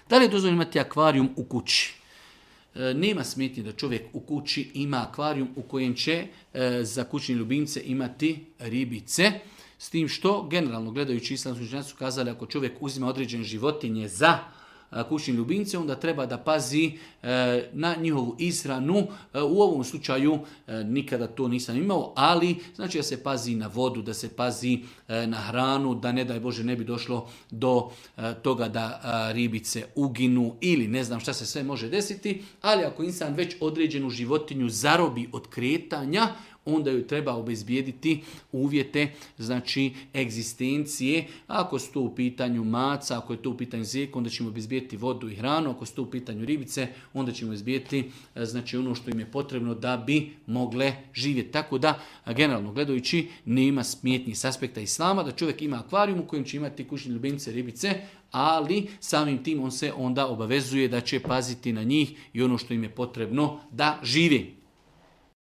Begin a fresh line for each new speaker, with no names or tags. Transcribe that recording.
Da li je dozvoljeno imati akvarijum u kući? Nema smetnje da čovjek u kući ima akvarijum u kojem će za kućni ljubimce imati ribice. S tim što, generalno gledajući, islamski učenjaci su kazali, ako čovjek uzima određene životinje za kućni ljubimce, onda treba da pazi na njihovu ishranu. U ovom slučaju nikada to nisam imao, ali znači da se pazi na vodu, da se pazi na hranu, da ne daj Bože ne bi došlo do toga da ribice uginu ili ne znam šta se sve može desiti, ali ako insan već određenu životinju zarobi od kretanja, onda ju treba obezbijediti uvjete, znači egzistencije. Ako su to u pitanju maca, ako je to u pitanju zeka, onda ćemo obezbijediti vodu i hranu. Ako su to u pitanju ribice, onda ćemo obezbijediti znači ono što im je potrebno da bi mogle živjeti. Tako da, generalno gledajući, nema smetnji s aspekta islama da čovjek ima akvarijum u kojem će imati kućne ljubimce, ribice, ali samim tim on se onda obavezuje da će paziti na njih i ono što im je potrebno da živi.